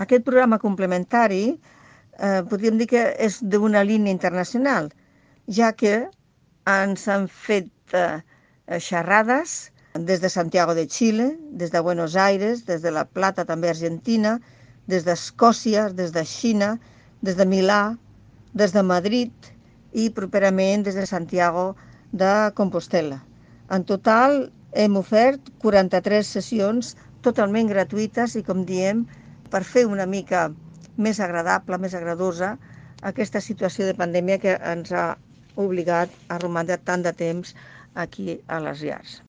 Aquest programa complementari podríem dir que és d'una línia internacional, ja que ens han fet xerrades des de Santiago de Xile, des de Buenos Aires, des de La Plata, també Argentina, des d'Escòcia, des de Xina, des de Milà, des de Madrid i properament des de Santiago de Compostela. En total hem ofert 43 sessions totalment gratuïtes i, com diem, per fer una mica més agradable, més agradosa, aquesta situació de pandèmia que ens ha obligat a romandre tant de temps aquí a les llars.